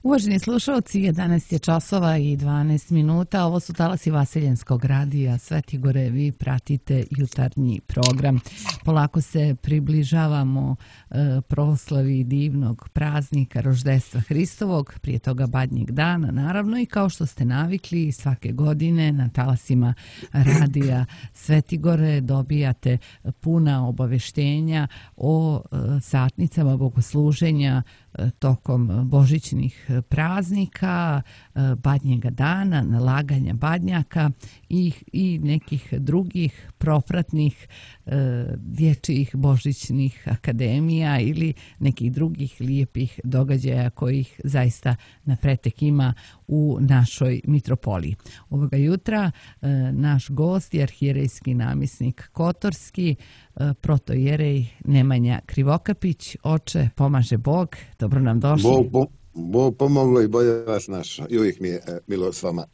Uvaženi slušalci, 11 je časova i 12 minuta. Ovo su talasi Vaseljenskog radija Sveti Gore. Vi pratite jutarnji program. Polako se približavamo proslavi divnog praznika roždestva Hristovog, prije toga Badnjeg dana, naravno, i kao što ste navikli, svake godine na talasima radija Sveti Gore dobijate puna obaveštenja o satnicama bogosluženja tokom božićnih praznika, Badnjega dana, nalaganja badnjaka i nekih drugih propratnih dječjih božićnih akademija ili nekih drugih lijepih događaja kojih zaista na pretek ima u našoj mitropoliji. Ovoga jutra naš gost je arhijerejski namjesnik Kotorski, protojerej Nemanja Krivokapić. Oče, pomaže Bog, dobro nam došli. Bog pomoglo i bolje vas našao. I uvijek mi je milo s vama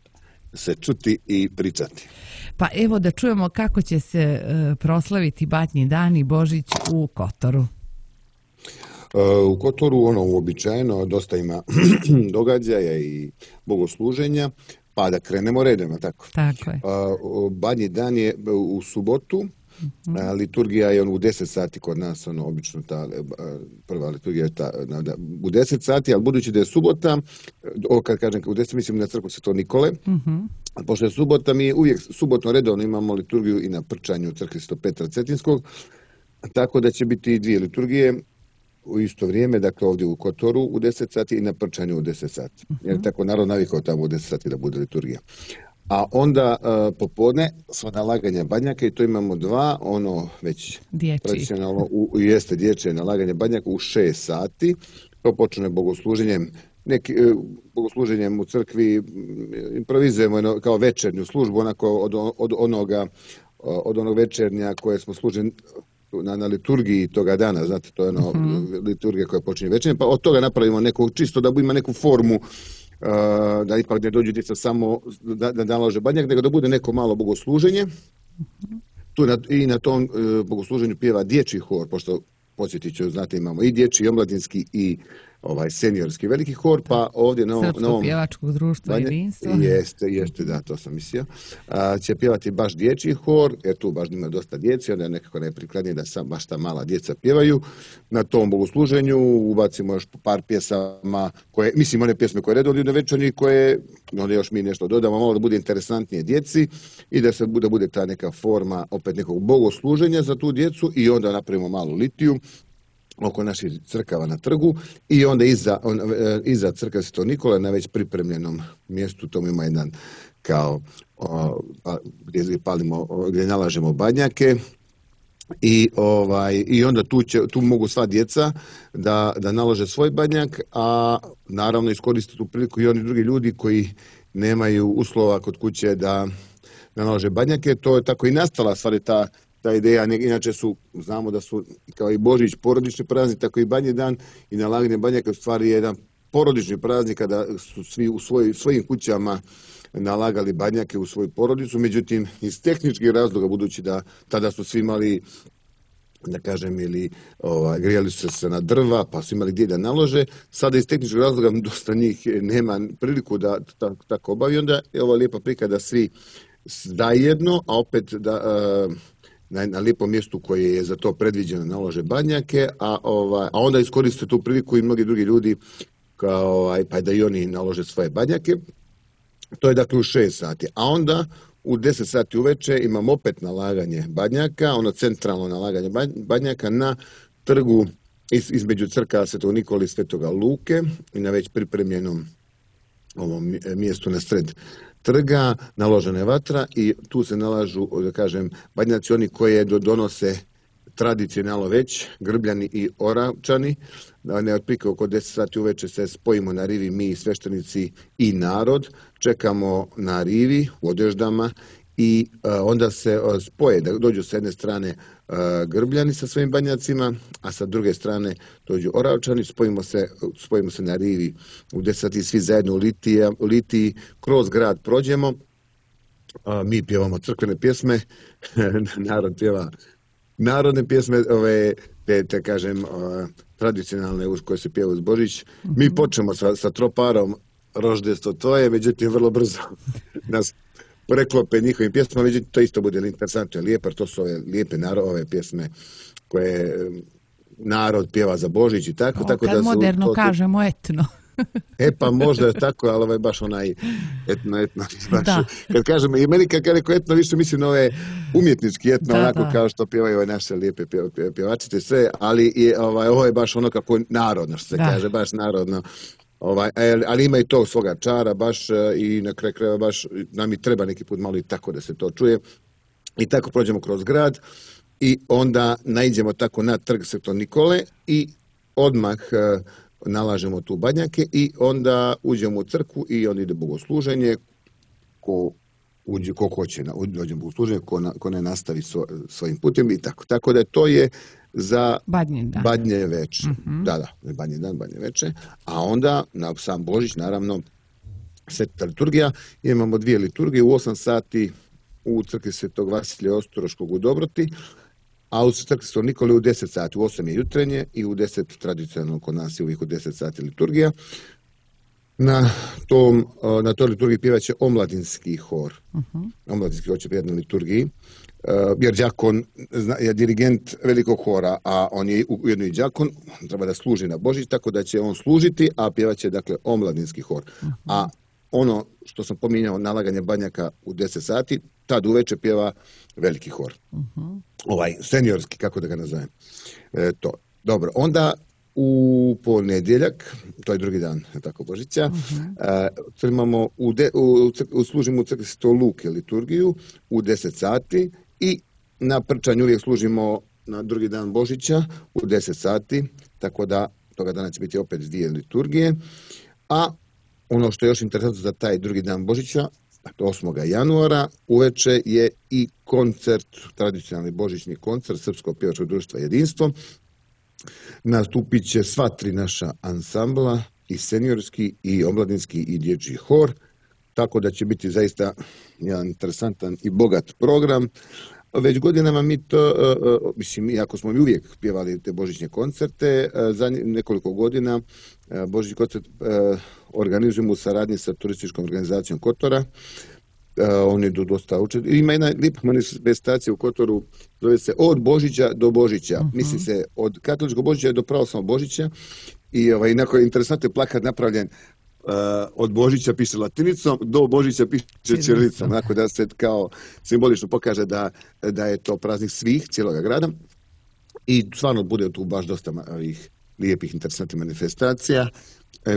se čuti i pričati. Pa evo da čujemo kako će se proslaviti Badnji dan i Božić u Kotoru. U Kotoru uobičajeno dosta ima događaja i bogosluženja, pa da krenemo redom, tako? Tako je. Badnji dan je u subotu. Liturgija je u 10 sati kod nas, obično ta prva liturgija je u 10 sati, ali budući da je subota, kad kažem u 10 mislim na crkvu Svetog Nikole, pošto je subota, mi uvijek subotno redovno imamo liturgiju i na Prčanju u crkvi Svetog Petra Cetinskog, tako da će biti dvije liturgije u isto vrijeme, dakle ovdje u Kotoru u 10 sati i na Prčanju u 10 sati. Jer tako narod navikao tamo u 10 sati da bude liturgija. A onda popodne sva nalaganja badnjaka i to imamo dva, već tradicionalno jeste dječje nalaganje badnjaka u 6 sati. To počne bogosluženjem, bogosluženjem u crkvi, improvizujemo kao večernju službu, onako od onog večernja koje smo služili na liturgiji toga dana, znate, to je liturgija koja počinje večernjem, pa od toga napravimo neku, čisto da ima neku formu, da ipak ne dođu djeca samo da nalože badnjak, nego da bude neko malo bogosluženje. I na tom bogosluženju pjeva dječji hor, pošto podsjetit ću, znate, imamo i dječji, i omladinski, i seniorski veliki hor, pa ovdje na ovom... Srpsko pjevačkog društva jedinstvo. Jeste, da, to sam mislio. Će pjevati baš dječji hor, jer tu baš ima dosta djeci, onda je nekako najprikladnije da baš ta mala djeca pjevaju. Na tom bogosluženju ubacimo još par pjesama, one pjesme koje redovno idu na večernji, koje onda još mi nešto dodamo, malo da bude interesantnije djeci i da bude ta neka forma opet nekog bogosluženja za tu djecu i onda napravimo malu litiju oko naših crkava na trgu i onda iza crkve Svetog Nikole na već pripremljenom mjestu, tamo ima jedan kao gdje nalažemo badnjake i onda tu mogu sva djeca da nalože svoj badnjak, a naravno iskoriste tu priliku i oni drugi ljudi koji nemaju uslova kod kuće da nalože badnjake. To je tako i nastala stvari ta ideja, inače znamo da su kao i Božić porodični praznik, tako i Badnji dan i nalaganje badnjaka u stvari je jedan porodični praznik kada su svi u svojim kućama nalagali badnjake u svoju porodicu, međutim iz tehničkih razloga, budući da tada su svi imali, da kažem, ili grijali su se na drva, pa su imali gdje da nalože, sada iz tehničkih razloga dosta njih nema priliku da tako obavi, onda je ova lijepa prika da svi zajedno, a opet da na lijepom mjestu koje je za to predviđeno nalože badnjake, a onda iskoriste tu priliku i mnogi drugi ljudi pa da i oni nalože svoje badnjake. To je dakle u 6 sati. A onda u 10 sati uveče imamo opet nalaganje badnjaka, centralno nalaganje badnjaka na trgu između crkava Svetog Nikole i Svetoga Luke i na već pripremljenom ovom mjestu na sred trga naložena je vatra i tu se nalažu, da kažem, badnjaci oni koje donose tradicionalno već, Grbljani i Oravčani. Otprilike oko 10 sati uveče se spojimo na rivi mi, sveštenici i narod, čekamo na rivi u odeždama i onda se spoje, da dođu sa jedne strane Grbljani sa svojim badnjacima, a sa druge strane dođu Oravčani, spojimo se na rivi u 10 sati svi zajedno u litiji, kroz grad prođemo, mi pjevamo crkvene pjesme, narod pjeva narodne pjesme, te kažem, tradicionalne uz koje se pjeva uz Božić. Mi počnemo sa troparom Roždestvo tvoje, međutim vrlo brzo nas preklope njihovim pjesmama, međutim to isto bude interesantno i lijepo, jer to su ove lijepe ove pjesme koje narod pjeva za Božić i tako. Kad da moderno kažemo etno. Pa možda je tako, ali baš onaj etno. Baš, kad kažemo, i meni kad rekao etno, više mislim na ove umjetnički etno, onako kao što pjevaju ove naše lijepe pjevačice, sve, ali ovo je baš ono kako narodno, što se kaže, baš narodno. Ali ima i to svoga čara baš i na kraju krajeva baš nam i treba neki put malo i tako da se to čuje. I tako prođemo kroz grad i onda naiđemo tako na trg Svetog Nikole i odmah nalažemo tu badnjake i onda uđemo u crkvu i onda ide bogosluženje. Ko hoće dođe u bogosluženje, ko ne nastavi svojim putem i tako. Tako da to je za Badnje veče. Badnji dan, Badnje veče. A onda na sam Božić, naravno, sveta liturgija. Imamo 2 liturgije u 8 sati u crkvi Svetog Vasilija Ostroškog u Dobroti, a u crkvi Svetog Nikole u 10 sati. U 8 je jutrenje i u 10 tradicionalno kod nas je uvijek u 10 sati liturgija. Na toj liturgiji pjevaće omladinski hor. Omladinski hor će pjevati na liturgiji. Jer đakon je dirigent velikog hora, a on je ujedno i đakon, treba da služi na Božić, tako da će on služiti, a pjevaće dakle omladinski hor. A ono što sam pominjao, nalaganje badnjaka u 10 sati, tad uveče pjeva veliki hor. Seniorski, kako da ga nazovem. To. Dobro, onda u ponedjeljak, to je drugi dan tako Božića, imamo služimo u crkvi Svetog Luke liturgiju u 10 sati i na prčanju uvijek služimo na drugi dan Božića u 10 sati, tako da toga dana će biti opet 2 liturgije. A ono što je još interesantno za taj drugi dan Božića, 8. januara, uveče je i koncert, tradicionalni božićni koncert Srpskog pjevačkog društva Jedinstvo. Nastupit će sva 3 naša ansambla, i seniorski, i omladinski, i dječji hor, tako da će biti zaista jedan interesantan i bogat program. Već godinama mi to, iako smo mi uvijek pjevali te božićne koncerte, za nekoliko godina božićni koncert organizujemo u saradnji sa turističkom organizacijom Kotora. Oni idu dosta učiti. Ima jedna lijepa manifestacija u Kotoru, zove se Od Božića do Božića. Misli se od katoličkog Božića do pravoslavnog Božića. I inako je interesantno plakat napravljen, od Božića piše latinicom, do Božića piše ćirilicom. Onako da se kao simbolično pokaže da je to praznik svih, cijeloga grada. I stvarno bude tu baš dosta ovih lijepih, interesantnih manifestacija.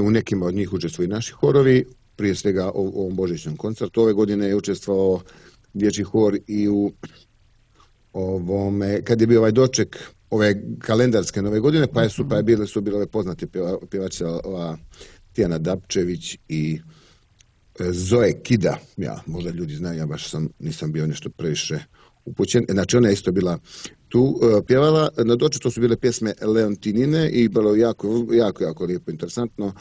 U nekima od njih učestvuju i naši horovi. Prije svega u ovom božićnom koncertu. Ove godine je učestvovao dječji hor i u ovome, kad je bio doček ove kalendarske nove godine, pa su bile ove poznate pjevačice Tijana Dapčević i Zoe Kida. Ja, možda ljudi znaju, ja baš nisam bio nešto previše upućen. Znači ona je isto bila tu pjevala. Na doček to su bile pjesme Leontinine i bilo jako lijepo, interesantno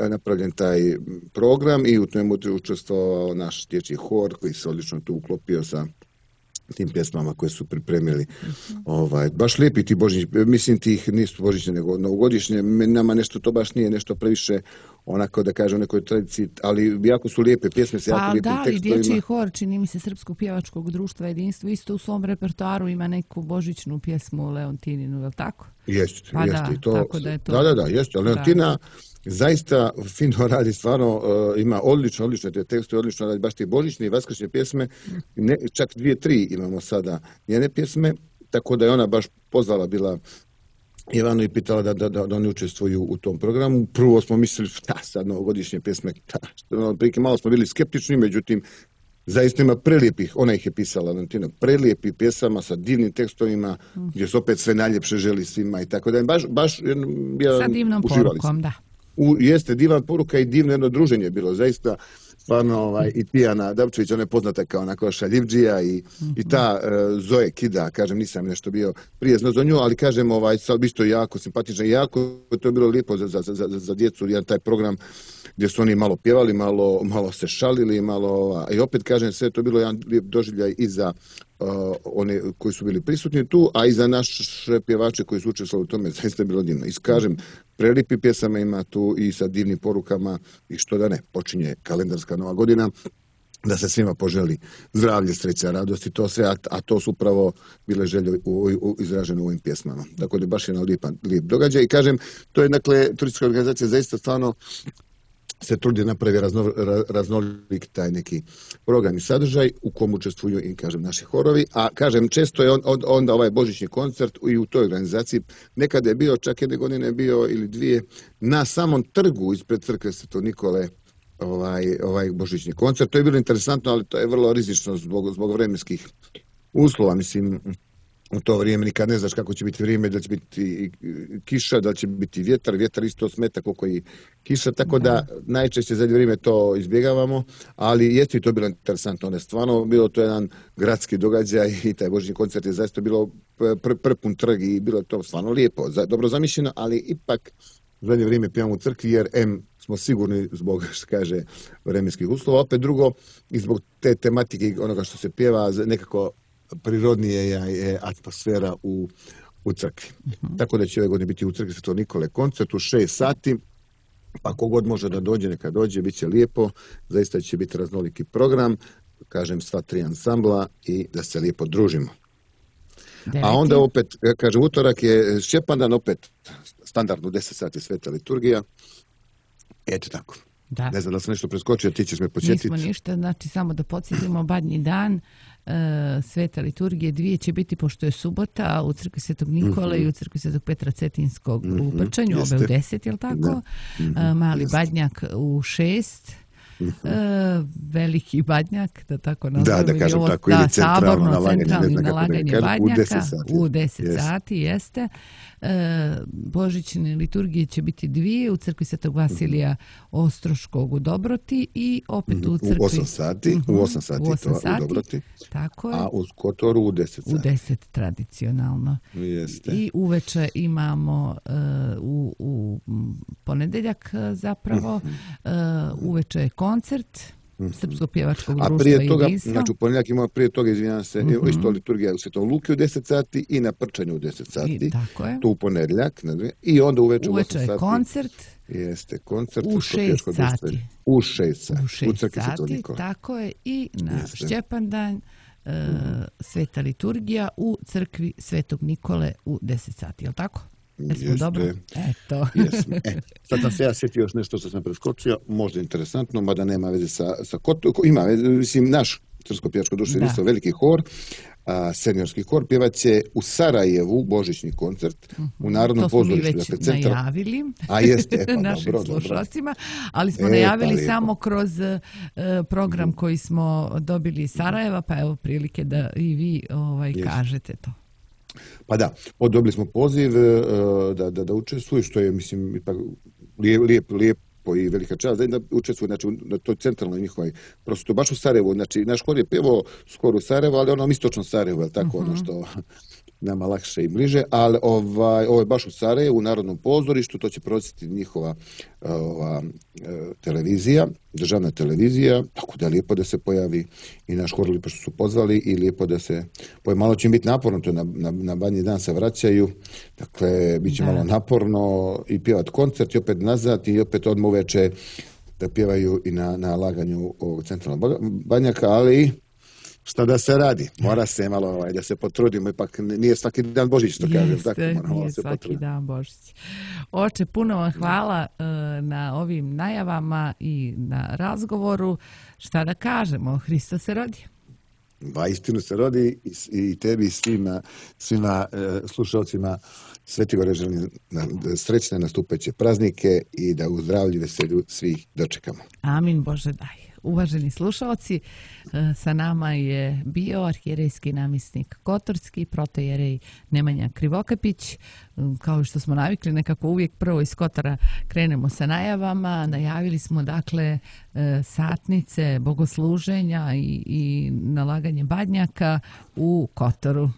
napravljen taj program i u tome učestvovao naš dječji hor koji se odlično tu uklopio sa tim pjesmama koje su pripremili. Baš lijepi ti božićni, mislim tih nisu božićne nego novogodišnje, nama nešto to baš nije nešto previše onako da kažem nekoj tradiciji, ali jako su lijepe pjesme s jako lijepim tekstovima. I dječji hor, čini mi se Srpskog pjevačkog društva Jedinstvo, isto u svom repertoaru ima neku božićnu pjesmu Leontininu, je li tako? Jeste. Tako da je to. Da, jeste. Leontina zaista fino radi, stvarno ima odlične te tekste, odlično radi baš te božićne i vaskršnje pjesme, čak 2-3 imamo sada njene pjesme, tako da je ona baš pozvala bila Ivanu i pitala da oni učestvuju u tom programu. Prvo smo mislili, sad novogodišnje pjesme, prije malo smo bili skeptični, međutim, zaista ima prelijepih, ona ih je pisala, Leontina, prelijepih pjesama sa divnim tekstovima, gdje se opet sve najljepše želi svima i tako da je baš sa divnom porukom, da. Jeste divan poruka i divno jedno druženje bilo, zaista stvarno i Tijana Dapčević, ona je poznata kao onako šaljivdžija i ta Zoe Kida, kažem, nisam nešto bio prije znao za nju, ali kažem, sad isto jako simpatična i jako to je bilo lijepo za djecu, jedan taj program gdje su oni malo pjevali, malo se šalili, i opet kažem, sve to bilo jedan lijep doživljaj i za one koji su bili prisutni tu, a i za naše pjevače koji su učestvovali u tome, zaista je bilo divno. I kažem, prelipi pjesama ima tu i sa divnim porukama i što da ne, počinje kalendarska nova godina, da se svima poželi zdravlje, sreća, radost i to sve, a to su upravo bile želje izražene u ovim pjesmama. Tako da je baš jedan lijep događaj. I kažem, to je, dakle, turistička organizacija zaista stvarno se trudi napravi raznolik taj neki program i sadržaj u kom učestvuju i, kažem, naši horovi. A, kažem, često je onda ovaj božićni koncert i u toj organizaciji. Nekada je bio, čak jedne godine je bio ili dvije, na samom trgu ispred crkve Svetog Nikole ovaj božićni koncert. To je bilo interesantno, ali to je vrlo rizično zbog vremenskih uslova. Mislim, u to vrijeme nikad ne znaš kako će biti vrijeme, da će biti kiša, da će biti vjetar isto smeta koliko i kiša, tako da najčešće za vrijeme to izbjegavamo, ali jeste i to bilo interesantno. Ono je stvarno bilo to jedan gradski događaj i taj božićni koncert je zaista bilo prepun trg i bilo je to stvarno lijepo, dobro zamišljeno, ali ipak zadnje vrijeme pijamo u crkvi jer smo sigurni zbog, što kaže, vremenskih uslova. Opet drugo, i zbog te tematike i onoga što se pjeva, nekako prirodnije je atmosfera u crkvi. Tako da će ove godine biti u crkvi Svetog Nikole koncert u 6 sati. Pa kogod može da dođe, neka dođe, bit će lijepo. Zaista će biti raznoliki program, kažem, sva 3 ansambla i da se lijepo družimo. A onda opet, kažem, utorak je Šćepandan, opet standardno 10 sati sveta liturgija. Eto tako. Da. Ne znam da sam nešto preskočio, ti ćeš me podsjetiti. Nismo ništa, znači samo da podsjetimo Badnji dan, sveta liturgije 2 će biti, pošto je subota, u crkvi Svetog Nikole i u crkvi Svetog Petra Cetinskog u Brčanju, ove u 10, jel tako? Mali Badnjak u 6. Veliki Badnjak, da tako nazovem, da kažem tako, ili centralni nalaganje Badnjaka u 10 sati, jeste. Božićne liturgije će biti 2 u crkvi Svetog Vasilija Ostroškog u Dobroti i opet u crkvi u 8 sati, u 8 sati u Dobroti, tako je. A u Kotoru u 10 sati. U 10 tradicionalno. Jeste. I uveče imamo u ponedeljak zapravo uveče je koncert Srpskog pjevačkog društva. A prije toga, znači u ponedjeljak imamo prije toga, izvinjam se, isto liturgija u Svetom Luki u 10 sati i na Prčanju u 10 sati. Tako je. Tu u ponedjeljak. I onda uveče u 8 sati. Uveče je koncert. Jeste, koncert u 6 sati. U 6 sati. U 6 sati, tako je. I na Šćepandan sveta liturgija u crkvi Svetog Nikole u 10 sati, je li tako? Jesmo dobro? Eto. Sad sam se ja sjetio još nešto što sam preskočio, možda interesantno, mada nema veze sa ima, mislim, naš Srpsko-pjevačko društvo je isto veliki hor, seniorski hor, pjevaće u Sarajevu božićni koncert u Narodnom pozorištu. To smo mi već najavili našim slušalcima, ali smo najavili samo kroz program koji smo dobili iz Sarajeva, pa evo prilike da i vi kažete to. Pa da, dobili smo poziv da učestvuju, što je, mislim, ipak lijepo i velika čast da učestvuju, znači, na toj centralnoj njihovoj prosto baš u Sarajevu. Znači, naš hor je pjevao skoro u Sarajevu, ali onom istočnom Sarajevu, je tako, ono što nama lakše i bliže, ali ovo je baš u Sarajevu, u Narodnom pozorištu, to će provoditi njihova televizija, državna televizija, tako da je lijepo da se pojavi i naš hor, lijepo što su pozvali i lijepo da se pojavi. Malo će im biti naporno, to na Badnji dan se vraćaju, dakle, bit će malo naporno i pjevat koncert i opet nazad i opet odmah uveče da pjevaju i na laganju ovog centralnog Badnjaka, ali šta da se radi? Mora se malo da se potrudimo, ipak nije svaki dan Božić, što kažem. Nije svaki dan Božić. Oče, puno vam hvala na ovim najavama i na razgovoru. Šta da kažemo? Hristos se rodi. Istinu se rodi i tebi i svima slušalcima Sveti Gore želim srećne nastupajuće praznike i da u zdravlju i veselju svih dočekamo. Amin, Bože daj. Uvaženi slušalci, sa nama je bio arhijerejski namjesnik Kotorski, protojerej Nemanja Krivokapić. Kao što smo navikli, nekako uvijek prvo iz Kotora krenemo sa najavama. Najavili smo, dakle, satnice, bogosluženja i nalaganje badnjaka u Kotoru.